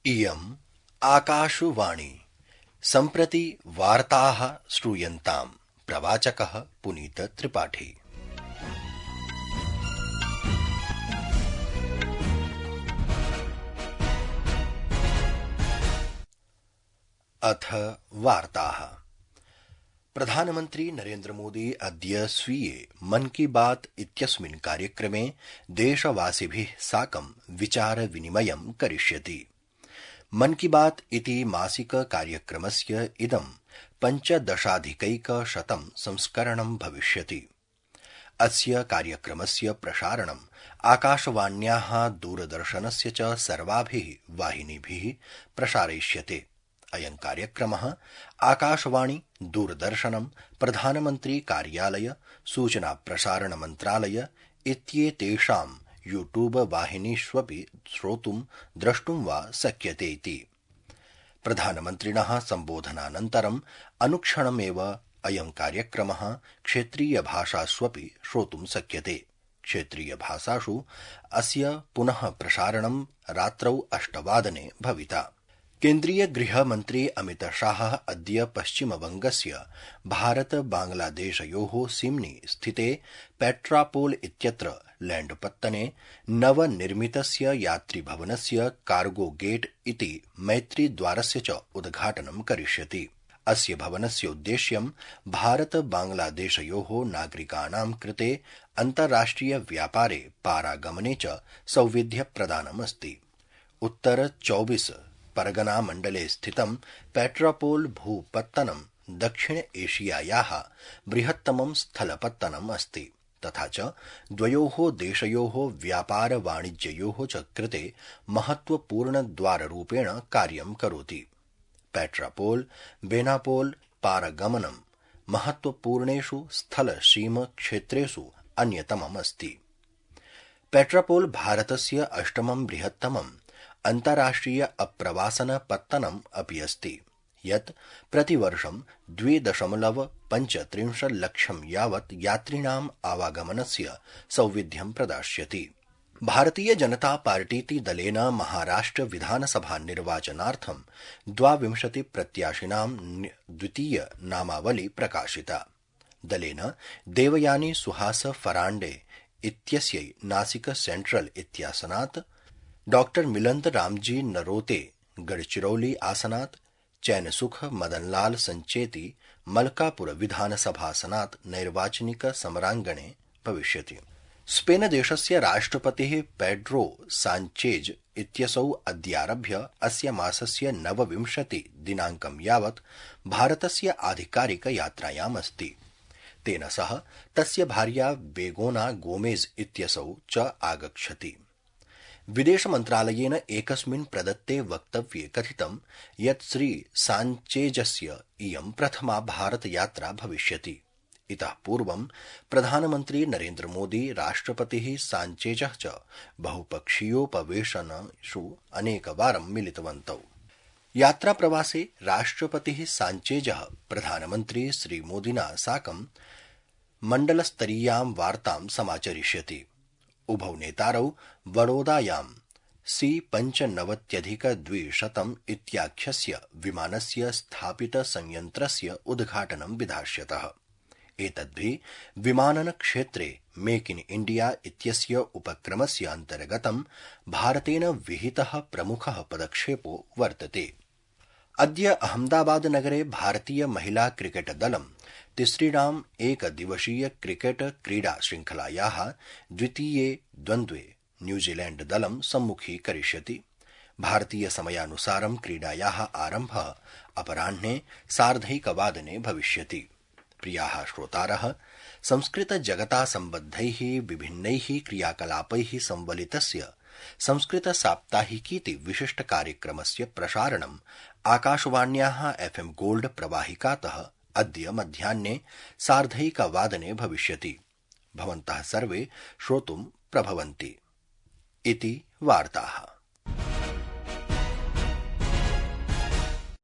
इयम् आकाशवाणी सम्प्रति वार्ताः श्रूयन्ताम्। प्रवाचकः पुनीत त्रिपाठी। अथ वार्ताः। प्रधानमन्त्री नरेन्द्र मोदी अद्य स्वीये मन की बात इत्यस्मिन् कार्यक्रमे देशवासिभिः साकं विचार विनिमयं करिष्यति। मन की बात इति मासिक कार्यक्रमस्य इदं 15,000 संस्करणं भविष्यति। अस्य कार्यक्रमस्य प्रसारणम् आकाशवाण्याः दूरदर्शनस्य च सर्वाभिः वाहिनीभिः प्रसारयिष्यते। अयं कार्यक्रमः आकाशवाणी, दूरदर्शनं, प्रधानमन्त्री कार्यालय, सूचना प्रसारण मन्त्रालय इत्येतेषां यूट्यूब वाहिनीष्वपि श्रोतुं द्रष्टुं वा शक्यते इति। प्रधानमन्त्रिणः सम्बोधनानन्तरम् अनुक्षणमेव अयं कार्यक्रमः क्षेत्रीयभाषाष्वपि श्रोतुं शक्यते। क्षेत्रीयभाषासु अस्य पुनः प्रसारणं रात्रौ 8 भविता। केन्द्रीय गृहमन्त्री अमित शाह अद्य पश्चिमबंगस्य भारत बांग्लादेशयोः सीम्नि स्थिते पेट्रापोल इत्यत्र लैण्डपत्तने नवनिर्मितस्य यात्रिभवनस्य कार्गो गेट इति मैत्रीद्वारस्य च उद्घाटनं करिष्यति। अस्य भवनस्य उद्देश्यं भारत बांग्लादेशयोः नागरिकाणां कृते अन्ताराष्ट्रिय व्यापारे पारागमने च सौविध्यप्रदानमस्ति। उत्तर 24 परगना मण्डले स्थितं पेट्रापोल भूपत्तनं दक्षिण एशियायाः बृहत्तमं स्थलपत्तनम् अस्ति तथा च द्वयोः देशयोः व्यापार वाणिज्ययोः च कृते महत्वपूर्णद्वाररूपेण कार्यं करोति। पेट्रापोल बेनापोल पारगमनं महत्वपूर्णेषु स्थलसीम क्षेत्रेषु अन्यतमम् अस्ति। पेट्रापोल भारतस्य 8मं बृहत्तमं अन्ताराष्ट्रिय अप्रवासन पत्तनम् अपि अस्ति, यत् प्रतिवर्षं 2.35 लक्षं यावत् यात्रिणाम् आवागमनस्य सौविध्यं प्रदास्यति। भारतीय जनता पार्टीति दलेन महाराष्ट्र विधानसभा निर्वाचनार्थं 22 प्रत्याशिनां द्वितीय नामावली प्रकाशिता। दलेन देवयानी सुहास फराण्डे इत्यस्यै नासिक सेंट्रल इत्यासनात्, डॉक्टर मिलंद रामजी नरोते गढ़चिरौली आसनात्, चैनसुख मदनलाल संचेती मलकापुर विधानसभासनात् नैर्वाचनिक समरांगणे भविष्यति। स्पेन देशस्य राष्ट्रपतिः पेड्रो सांचेज इत्यसौ अद्यारभ्य अस्य मासस्य 29 दिनाङ्कं यावत् भारतस्य आधिकारिक यात्रायाम् अस्ति। तेन सह तस्य भार्या बेगोना गोमेज इत्यसौ च आगच्छति। विदेश मन्त्रालयेन एकस्मिन् प्रदत्ते वक्तव्ये कथितं यत् श्री सांचेजस्य इयं प्रथमा भारतयात्रा भविष्यति। इतः पूर्वं प्रधानमन्त्री नरेन्द्र मोदी, राष्ट्रपतिः सांचेजः च बहुपक्षीयोपवेशनेषु अनेकवारं मिलितवन्तौ। यात्राप्रवासे राष्ट्रपतिः सांचेजः प्रधानमन्त्री श्रीमोदिना साकं मण्डलस्तरीयां वार्तां समाचरिष्यति। उभौ नेतारौ बड़ोदायां C-95-200 इत्याख्यस्य विमानस्य स्थापित संयन्त्रस्य उद्घाटनं विधास्यतः। एतद्भिः विमानन क्षेत्रे मेक इन इंडिया इत्यस्य उपक्रमस्य अन्तर्गतं भारतेन विहितः प्रमुखः पदक्षेपो वर्तते। अद्य अहमदाबाद नगरे भारतीय महिला क्रिकेट दलं तिसृणाम् एकदिवसीय क्रिकेट क्रीडा श्रृंखलायाः द्वितीये द्वन्द्वे न्यूजीलैण्ड दलं सम्मुखीकरिष्यति। भारतीय समयानुसारं क्रीडायाः आरम्भः अपराह्ने 1:30 भविष्यति। प्रियाः श्रोतारः, संस्कृत जगता सम्बद्धैः विभिन्नैः क्रियाकलापैः संवलितस्य संस्कृत साप्ताहिकीति विशिष्ट कार्यक्रमस्य प्रसारणम् आकाशवाण्याः FM गोल्ड प्रवाहिकातः अद्य मध्याह्ने 1:30 भविष्यति। भवन्तः सर्वे श्रोतुं प्रभवन्ति इति वार्ताः।